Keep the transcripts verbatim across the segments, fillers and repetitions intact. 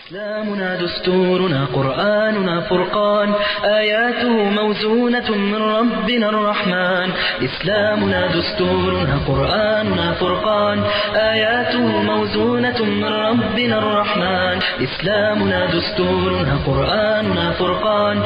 إسلامنا دستورنا قرآننا فرقان، آياته موزونة من ربنا الرحمن. إسلامنا دستورنا قرآننا فرقان، آياته موزونة من ربنا الرحمن. إسلامنا دستورنا قرآننا فرقان،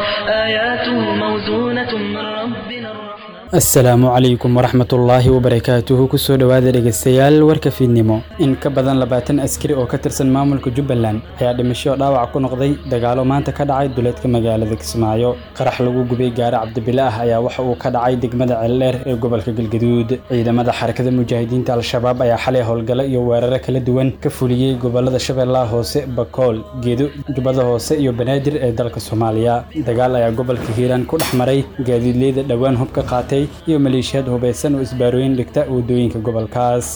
آياته موزونة من ربنا الرحمن. Asalaamu calaykum waraxmatullaahi wabarakaatuhu. Kusoo dhowaada dhegeystayaal warka fiidnimo. In ka badan labaatan askari oo ka tirsan maamulka Jubbaland ayaa dhimasho dhaawac ku noqday dagaalo maanta ka dhacay duleedka magaalada Kismaayo. Qarax lagu gubay gaari Cabdibile ah ayaa waxa uu ka dhacay degmada Ceeldheer ee gobolka Galgaduud. Ciidamada Xarakada Mujaahidiinta Al-Shabaab ayaa xalay howlgalo iyo weeraro kala duwan ka fuliyey gobolada Shabeellaha Hoose, Bakool, Gedo, Jubbada Hoose iyo Banaadir ee dalka Soomaaliya. Dagaal ayaa gobolka Hiiraan ku dhex maray gaadiidleyda dhowaan hub ka qaatay iyo maleeshiyaad hubeysan oo isbaarooyin dhigta waddooyinka gobolkaas.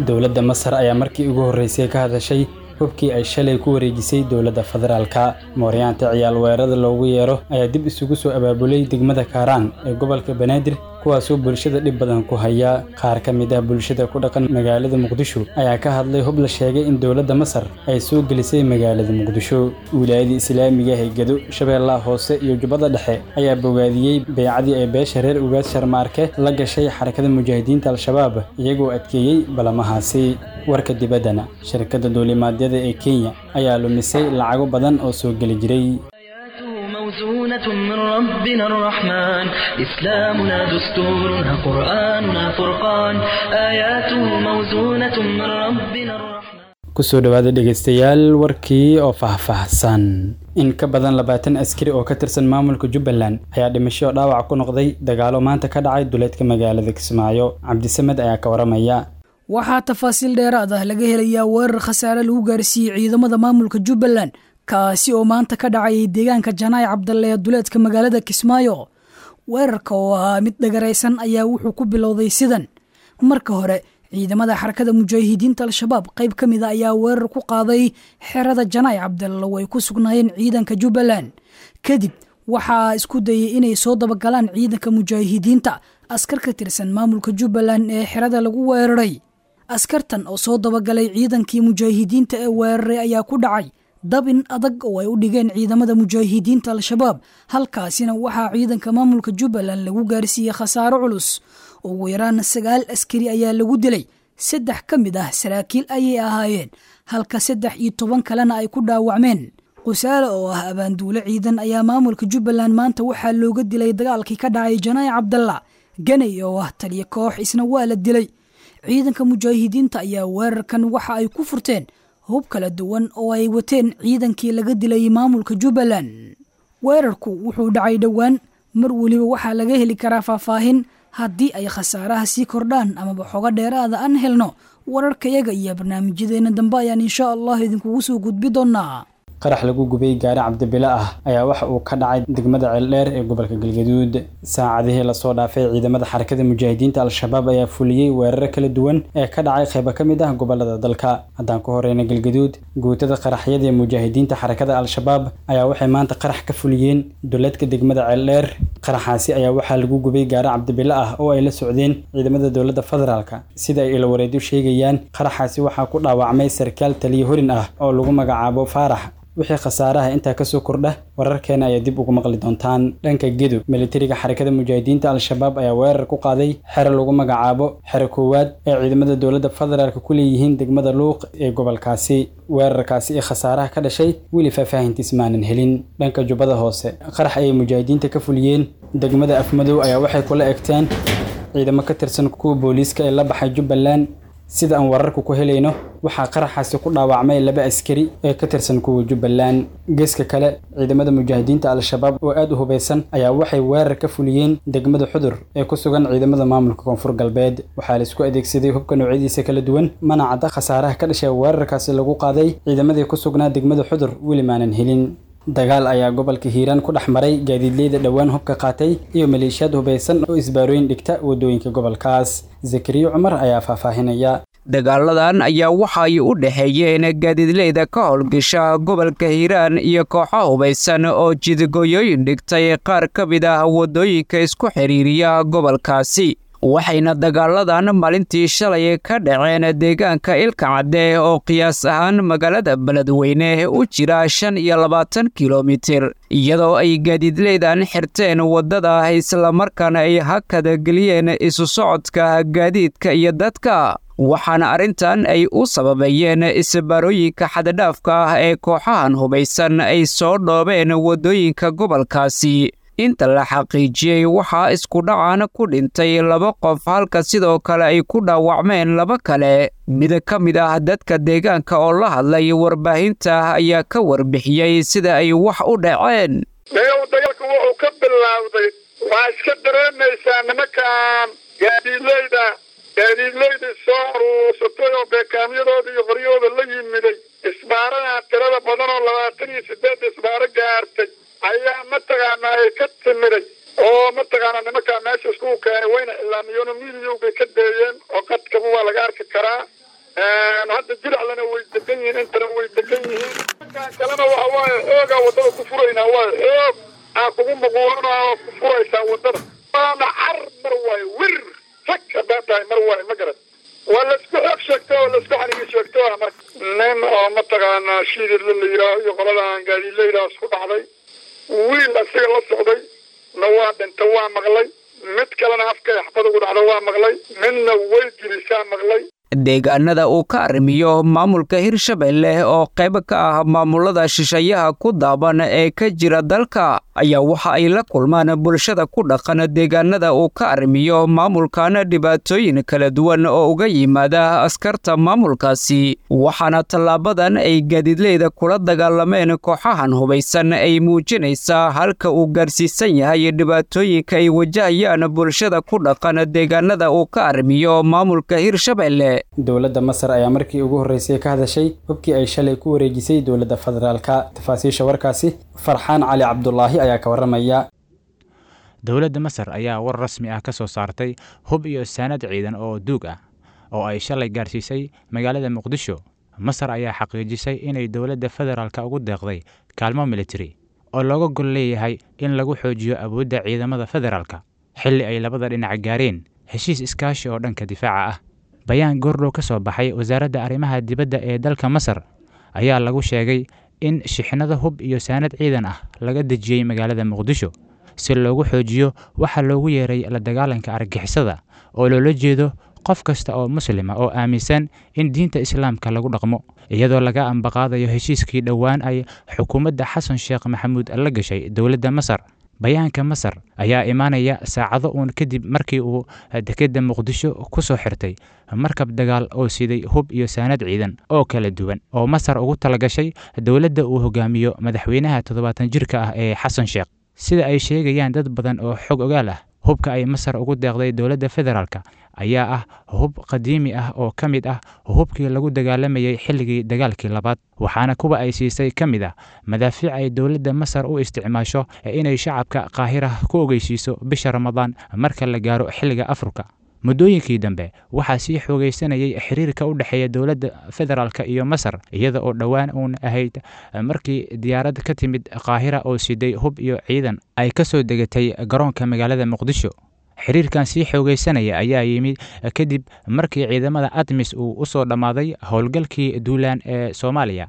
Dowladda Masar ayaa markii ugu horreysay ka hadashay hubkii ay shalay ku wareejisay dowladda federaalka. Mooryaanta ciyaal weerarada loogu yeero ayaa dib isugu soo abaabulay degmada Kaaraan ee gobolka Banaadir, kuwaasoo bulshada dhib badan ku haya. Qaar ka mid ah bulshada ku dhaqan magaalada Muqdisho ayaa ka hadlay hub la sheegay in dowladda Masar ay soo gelisay magaalada Muqdisho. Wilaayada Islaamiga ah ee Gedo, Shabeellaha Hoose iyo Jubbada Dhexe ayaa bogaadiyey beecadii ay beesha reer Ugaas Sharmaarke la gashay Xarakada Mujaahidiinta Al-Shabaab, iyagoo adkeeyey balamahaasi. Warka dibaddana, shirkadda duulimaadyada ee Kenya ayaa lumisay lacago badan oo soo geli jiray. آياته موزونة من ربنا الرحمن، إسلامنا دستورنا قرآننا فرقان، آياته موزونة من ربنا الرحمن. Kusoo dhowaada dhegeystayaal warkii oo faahfaahsan. In ka badan labaatan askari oo ka tirsan maamulka Jubbaland ayaa dhimasho dhaawac ku noqday dagaalo maanta ka dhacay duleedka magaalada Kismaayo. Cabdisamed ayaa ka waramaya. Waxaa tafaasiil dheeraad ah laga helayaa weerar khasaare lagu gaarsiiyey ciidamada maamulka Jubbaland, kaasi oo maanta ka dhacayay deegaanka Janaay Cabdalle ee duleedka magaalada Kismaayo. Weerarka oo ahaa mid dhagaraysan ayaa wuxuu ku bilowday sidan: marka hore ciidamada Xarakada Mujaahidiinta Al-Shabaab qayb ka mid a ayaa weerar ku qaaday xerada Janaay Cabdalle oo ay ku sugnaayeen ciidanka Jubbaland. Kadib waxaa isku dayay inay soo dabagalaan ciidanka mujaahidiinta askar ka tirsan maamulka Jubbaland ee xerada lagu weeraray. Askartan oo soo dabagalay ciidankii mujaahidiinta ee weeraray ayaa ku dhacay dabin adag oo ay u dhigeen ciidamada mujaahidiinta Al-Shabaab, halkaasina waxaa ciidanka maamulka Jubbaland lagu gaarsiiyey khasaaro culus. Ugu yaraan sagaal askari ayaa lagu dilay, saddex ka mid ah saraakiil ayay ahaayeen, halka saddex iyo toban kalena ay ku dhaawacmeen. Qusaale oo ah abaanduule ciidan ayaa maamulka Jubbaland maanta waxaa looga dilay dagaalkii ka dhacay Janaay Cabdalla. Ganay oo ah taliyo koox isna waa la dilay. Ciidanka mujaahidiinta ayaa weerarkan waxa ay ku furteen hub kala duwan oo ay wateen ciidankii laga dilay maamulka Jubbaland. Weerarku wuxuu dhacay dhowaan, mar weliba waxaa laga heli karaa faahfaahin haddii ay khasaaraha sii kordhaan amaba xogo dheeraada aan helno. Wararkayaga iyo barnaamijyadeena dambe ayaan insha Allah idinkugu soo gudbi doonaa. Qarax lagu gubay gaari Cabdibile ah ayaa waxa uu ka dhacay degmada Ceeldheer ee gobolka Galgaduud. Saacadihii lasoo dhaafay, ciidamada Xarakada Mujaahidiinta Al-Shabaab ayaa fuliyey weeraro kala duwan ee ka dhacay qaybo ka mid ah gobolada dalka. Haddaan ku horeyna Galgaduud, guutada qaraxyada ee mujaahidiinta Xarakada Al-Shabaab ayaa waxay maanta qarax ka fuliyeen duleedka degmada Ceeldheer. Qaraxaasi ayaa waxaa lagu gubay gaari Cabdibile ah oo ay la socdeen ciidamada dowladda federaalka. Sida ay ilawareedyo sheegayaan, qaraxaasi waxaa ku dhaawacmay sarkaal taliye horin ah oo lagu magacaabo Faarax. Wixii khasaaraha intaa kasoo kordha, wararkeena ayaa dib ugu maqli doontaan. Dhanka Gedo, militariga Xarakada Mujaahidiinta Al-Shabaab ayaa weerar ku qaaday xero lagu magacaabo xero koowaad ee ciidamada dowladda federaalka ku leeyihiin degmada Luuq ee gobolkaasi. Weerarkaasi iyo khasaaraha ka dhashay weli faahfaahintiis maanan helin. Dhanka Jubbada Hoose, qarax ayay mujaahidiinta ka fuliyeen degmada Afmadow ayaa waxay kula egteen ciidamo ka tirsan kuwa booliiska ee la baxay Jubbaland. Sida aan wararku ku helayno, waxaa qaraxaasi ku dhaawacmay laba askari ee ka tirsan kuwa Jubbaland. Geeska kale, ciidamada mujaahidiinta Al-Shabaab oo aad u hubeysan ayaa waxay weerar ka fuliyeen degmada Xudur ee ku sugan ciidamada maamulka Koonfur Galbeed. Waxaa la isku adeegsaday hubka noocyadiisa kala duwan, mana cadda khasaaraha ka dhashay weerarkaasi lagu qaaday ciidamadii ku sugnaa degmada Xudur, weli maanan helin. Dagaal ayaa gobolka Hiiraan ku dhex maray gaadiidleyda dhowaan hubka qaatay iyo maleeshiyaad hubeysan oo isbaarooyin dhigta waddooyinka gobolkaas. Zakariyo Cumar ayaa faahfaahinaya. Dagaaladan ayaa waxay u dhexeeyeen gaadiidleyda ka howlgasha gobolka Hiiraan iyo kooxo hubaysan oo jidgooyooyin dhigtay qaar ka mid ah waddooyinka isku xiriiriya gobolkaasi. Waxayna dagaaladan maalintii shalay ka dhaceen deegaanka Ilkacadde oo qiyaas ahaan magaalada Beledweyne u jira shan iyo labaatan kilomitir, iyadoo ay gaadiidleydan xirteen waddada islamarkaana ay hakada geliyeen isu socodka gaadiidka iyo dadka. Waxaana arrintan ay u sababeeyeen isbaarooyinka xaddhaafka ah ee kooxahan hubaysan ay soo dhoobeen waddooyinka gobolkaasi. Inta la xaqiijiyey, waxaa isku dhacan ku dhintay laba qof, halka sidoo kale ay ku dhaawacmeen laba kale. Mid ka mid ah dadka deegaanka oo la hadlay warbaahinta ayaa ka warbixiyey sida ay wax u dhaceen. Dagaalka wuxuu ka bilowday, waxaa iska dareemaysaa nimankan gaadiidleyda gaadiidleyda soo aruursatay oo beekaamyadooda iyo qoryahooda la yimiday, isbaaraha tirada badan oo labaatan iyo sideed isbaaro gaartay ayaa mataqaanaa ay ka timiday oo mataqaanaa nimankaa meesha iskugu keenay, wayna ilaamiyeen oo miidiyowbay ka deeyeen oo qadkaba waa laga arki karaa. Hadda Jiraclana way degan yihiin, intana way degan yihiin. Nimankaan kalena waxa waaye xoogaa waddada ku furaynaa, waayo xoog aa kugu muquulanaa oo ku furaysaa waddada, waana car mar waayo wir fag haddaa tahay mar waayo, ma garan, waa laisku xoog sheegto oo laisku xanigi sheegto. Marka nin oo mataqaanaa Shiididla la yidhaaho iyo qoladan gaadiidleydaa isku dhacday, wiil asiga la socday na waa dhinta, waa maqlay, mid kalena afkay xabad ugu dhacda waa maqlay, midna way jirisaa maqlay. Deegaanada uu ka arrimiyo maamulka Hirshabelle oo qayb ka ah maamulada shisheeyaha ku daaban ee ka jira dalka ayaa waxa ay la kulmaan bulshada ku dhaqan deegaanada uu ka arrimiyo maamulkan dhibaatooyin kala duwan oo uga yimaada askarta maamulkaasi. Waxaana tallaabadan ay gaadiidleyda kula dagaalameen kooxahan hubaysan ay muujinaysaa halka uu gaarsiisan yahay dhibaatooyinka ay wajahayaan bulshada ku dhaqan deegaanada uu ka arrimiyo maamulka Hirshabelle. Dowladda Masar ayaa markii ugu horreysay ka hadashay hubkii ay shalay ku wareejisay dowladda federaalka. Tafaasiisha warkaasi Farxaan Cali Cabdulaahi ayaa ka warramaya. Dowladda Masar ayaa war rasmi ah ka soo saartay hub iyo saanad ciidan oo duug ah oo ay shalay gaarsiisay magaalada Muqdisho. Masar ayaa xaqiijisay inay dowladda federaalka ugu deeqday kaalmo militari oo looga gol leeyahay in lagu xoojiyo awoodda ciidamada federaalka, xilli ay labada dhinac gaareen heshiis iskaashi oo dhanka difaaca ah. Bayaan goordhow ka soo baxay wasaaradda arrimaha dibadda ee dalka Masar ayaa lagu sheegay in shixnado hub iyo saanad ciidan ah laga dejiyey magaalada Muqdisho si loogu xoojiyo waxa loogu yeeray la dagaalanka argagixisada, oo loola jeedo qof kasta oo muslima oo aaminsan in diinta islaamka lagu dhaqmo, iyadoo laga ambaqaadayo heshiiskii dhowaan ay xukuumadda Xasan Sheekh Maxamuud la gashay dowladda Masar. Bayaanka Masar ayaa imaanaya saacado uun kadib markii uu dekedda Muqdisho ku soo xirtay markab dagaal oo siday hub iyo saanad ciidan oo kala duwan oo Masar ugu talagashay dowladda uu hogaamiyo madaxweynaha toddobaatan jirka ah ee Xasan Sheekh. Sida ay sheegayaan dad badan oo xog ogaal ah, hubka ay Masar ugu deeqday dowladda federaalka ayaa ah hub qadiimi ah oo ka mid ah hubkii lagu dagaalamayay xilligii dagaalkii labaad, waxaana kuwa ay siisay ka mid ah madaafiic ay dowladda Masar u isticmaasho inay shacabka Qaahira ku ogeysiiso bisha Ramadaan marka la gaaro xilliga Afurka. Muddooyinkii dambe waxaa sii xoogaysanayay xiriirka u dhexeeya dowladda federaalka iyo Masar, iyada oo dhowaan uun ahayd markii diyaarad ka timid Qaahira oo siday hub iyo ciidan ay ka soo degatay garoonka magaalada Muqdisho. Xiriirkan sii xoogaysanaya ayaa yimid kadib markii ciidamada ATMIS uu u soo dhammaaday howlgalkii duulaan ee Soomaaliya,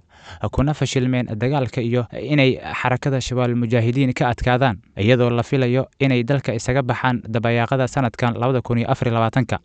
kuna fashilmeen dagaalka iyo inay xarakada Shabaab Mujaahidiin ka adkaadaan, iyadoo la filayo inay dalka isaga baxaan dabayaaqada sanadkan labada kun iyo afar iyo labaatanka.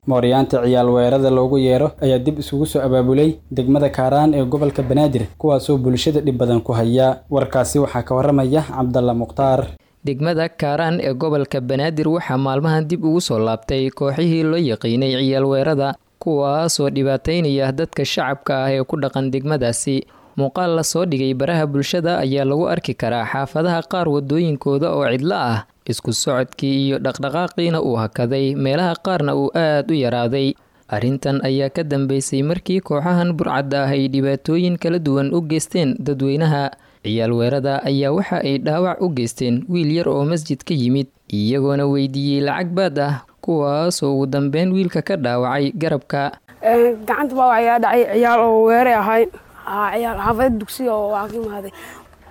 Mooryaanta ciyaal weerarada loogu yeero ayaa dib isugu soo abaabulay degmada Kaaraan ee gobolka Banaadir, kuwaasoo bulshada dhib badan ku haya. Warkaasi waxaa ka warramaya Cabdalla Mukhtaar. Degmada Kaaraan ee gobolka Banaadir waxaa maalmahan dib ugu soo laabtay kooxihii loo yaqiinay ciyaal weerada, kuwaasoo dhibaataynaya dadka shacabka ah ee ku dhaqan degmadaasi. Muuqaal la soo dhigay baraha bulshada ayaa lagu arki karaa xaafadaha qaar wadooyinkooda oo cidlo ah, isku socodkii iyo dhaqdhaqaaqiina uu hakaday, meelaha qaarna uu aad u yaraaday. Arrintan ayaa ka dambeysay markii kooxahan burcadda ah ay dhibaatooyin kala duwan u geysteen dadweynaha. Ciyaal weerada ayaa waxa ay dhaawac u geysteen wiil yar oo masjid ka yimid, iyagoona weydiiyey lacag baad ah, kuwaasoo ugu dambeyn wiilka ka dhaawacay garabka. Gacanta baa ayaa dhacay ciyaal oo weeray ahayn, ciyaal xaafada dugsiga oo waa ka imaaday,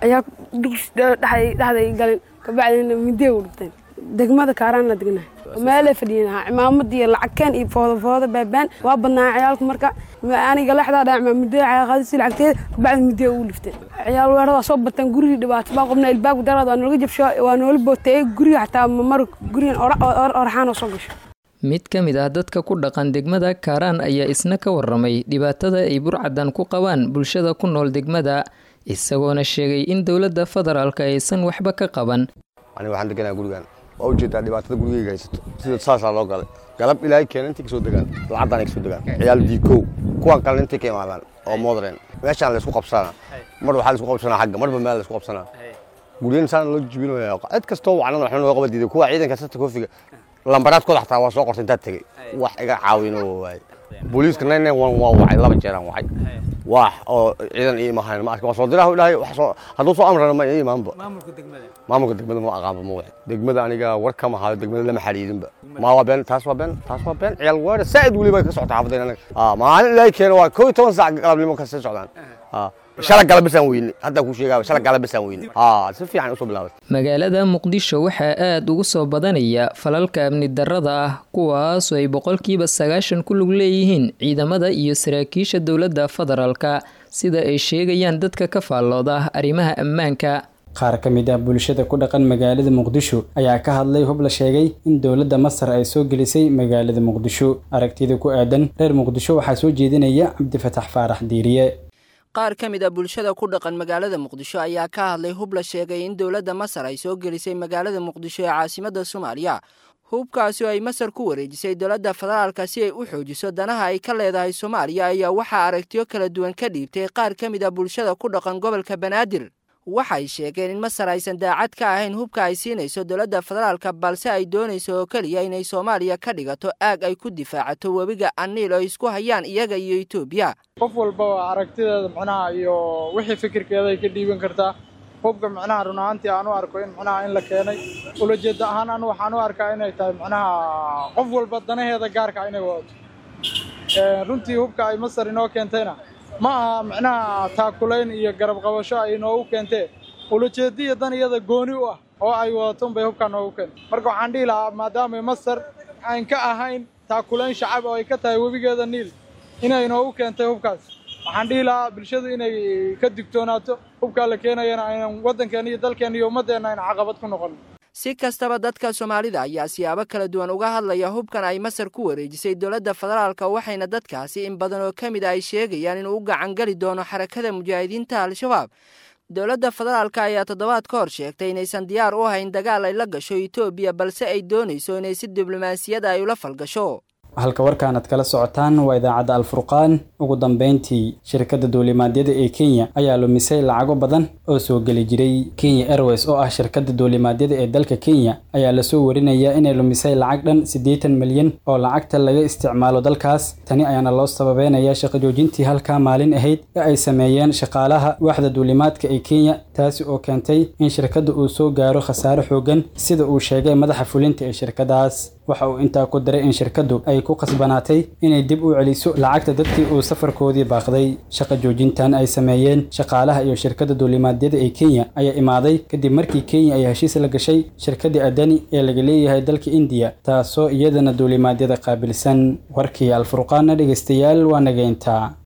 ciyaal dugsi dhexday dhexday galin, kabacdina midee u dhufteen. Degmada Kaaraan la degnahay. Meelay fadhiyeen cimaamadii lacagkeen iyo fooda fooda baabaan waa badnaa ciyaalku. Marka aniga lexdaa dhaa cimaamadeeda qaadisi lacagteeda kabacdi midee ugu liftay. Ciyaal weerada soo bateen, gurigii dhibaato baa qabnaa, ilbaabku daraad waa noola jabsho, waa noola booteeyey guriga, xataa mar gurigan oraxaan oo soo gasho. Mid ka mid ah dadka ku dhaqan degmada Kaaraan ayaa isna ka waramay dhibaatada ay burcadan ku qabaan bulshada ku nool degmada, isagoona sheegay in dowladda federaalka aysan waxba ka qaban. Aniga waxaan deganaa gurigan, waa ujeedaa dhibaatada gurigeyga haysato, sida saasaa loo galay. Galab ilaahay keena intay kasoo degaan lacagdan ay kasoo degaan ciyaal diikow, kuwan kalena intay ka imaadaan oo modern meeshaan laysku qabsanaa. Mar waxaa laysku qabsanaa xagga, marba meel laysku qabsanaa. Guryahan saan loo jibinaya, cid kastoo wacnan waxna loo qaba diiday. Kuwa ciidanka sata koofiga lambaraadkooda xataa waa soo qortay intaad tegey, wax iga caawino waaye. Booliiska nine nine one waa wacay, laba jeeraan wacay, wax oo ciidan ii imahayn ma arkin. Waa soo diraha dhahay, wax soo hadduu soo amrana ma ii imaanba. Maamulka degmada ma aqaanba, ma wixi degmada aniga war kama hayo, degmada lama xariirinba. Ma waa been taas, waa been taas, waa been. Ciyaal weera saa'id weliba ka socota xaafadeen anaga. Maalin ilaahay keeno waa kow iyo toban saac galabnimo ka sii socdaan. Shala galab bisaan weyne, hadda kuu sheegaa, shala galab bisaan weyne, si fiican usoo bilaabay. Magaalada Muqdisho waxaa aada ugu soo badanaya falalka amni darrada ah, kuwaasoo ay boqolkiiba sagaashan ku lug leeyihiin ciidamada iyo saraakiisha dowladda federaalka, sida ay sheegayaan dadka ka faallooda arrimaha ammaanka. Qaar ka mid ah bulshada ku dhaqan magaalada Muqdisho ayaa ka hadlay hub la sheegay in dowladda Masar ay soo gelisay magaalada Muqdisho. Aragtida ku aadan reer Muqdisho waxaa soo jeedinaya Cabdifataax Faarax Diiriye. Qaar ka mid a bulshada ku dhaqan magaalada Muqdisho ayaa ka hadlay hub la sheegay in dowladda Masar ay soo gelisay magaalada Muqdisho ee caasimadda Soomaaliya. Hubkaasi oo ay Masar ku wareejisay dowladda federaalka si ay u xoojiso danaha ay ka leedahay Soomaaliya ayaa waxaa aragtiyo kala duwan ka dhiibtay qaar ka mid a bulshada ku dhaqan gobolka Banaadir. Waxay sheegeen in Masar aysan daacad ka ahayn hubka ay siinayso dowladda federaalka, balse ay doonayso oo keliya inay Soomaaliya ka dhigato aag ay ku difaacato webiga Aniil oo isku hayaan iyaga iyo Itoobiya. Qof walba waa aragtideeda macnaha iyo wixii fikirkeeda ay ka dhiiban kartaa. Hubka macnaha run ahaantii aan u arko in macnaha in la keenay ulajeeda ahaan anu waxaan u arkaa inay tahay macnaha qof walba danaheeda gaarka inay wadato. Runtii hubka ay Masar inoo keentayna ma aha macnaha taakulayn iyo garab qabasho ay inoogu keentee, ulajeediya dan iyada gooni u ah oo ay wadato unbay hubkaa noogu keentay. Marka waxaan dhihi lahaa maadaamay Masar aan ka ahayn taakulayn shacab oo ay ka tahay webigeeda Niil inay inoogu keentay hubkaas, waxaan dhihi lahaa bulshadu inay ka digtoonaato hubkaa la keenayana aynan waddankeena iyo dalkeenna iyo ummaddeenna ayna caqabad ku noqon. Si kastaba, dadka Soomaalida ayaa siyaabo kala duwan uga hadlaya hubkan ay Masar ku wareejisay dowladda federaalka, waxayna dadkaasi in badan oo ka mid a ay sheegayaan inuu u gacan gali doono xarakada mujaahidiinta Al-Shabaab. Dowladda federaalka ayaa toddobaad ka hor sheegtay inaysan diyaar u ahayn dagaal ay la gasho Itoobiya, balse ay doonayso inay si diblomaasiyada ay ula falgasho. Halka warkaan aad kala socotaan waa idaacadda Alfurqaan. Ugu dambeyntii, shirkadda duulimaadyada ee Kenya ayaa lumisay lacago badan oo soo geli jiray. Kenya Airways oo ah shirkadda duulimaadyada ee dalka Kenya ayaa lasoo warinayaa inay lumisay lacag dhan siddeetan milyan oo lacagta laga isticmaalo dalkaas. Tani ayaana loo sababeynayaa shaqo joojintii halkaa maalin ahayd ee ay sameeyeen shaqaalaha waaxda duulimaadka ee Kenya, taasi oo keentay in shirkadda uu soo gaaro khasaare xooggan, sida uu sheegay madaxa fulinta ee shirkaddaas. Waxa uu intaa ku daray in shirkaddu ay ku qasbanaatay inay dib u celiso lacagta dadkii uu safarkoodii baaqday. Shaqo joojintan ay sameeyeen shaqaalaha iyo shirkadda duulimaadyada ee Kenya ayaa imaaday kadib markii Kenya ay heshiis la gashay shirkadda Adani ee laga leeyahay dalka India, taasoo iyadana duulimaadyada qaabilsan. Warkii Alfurqaana dhegeystayaal waa nageyntaa.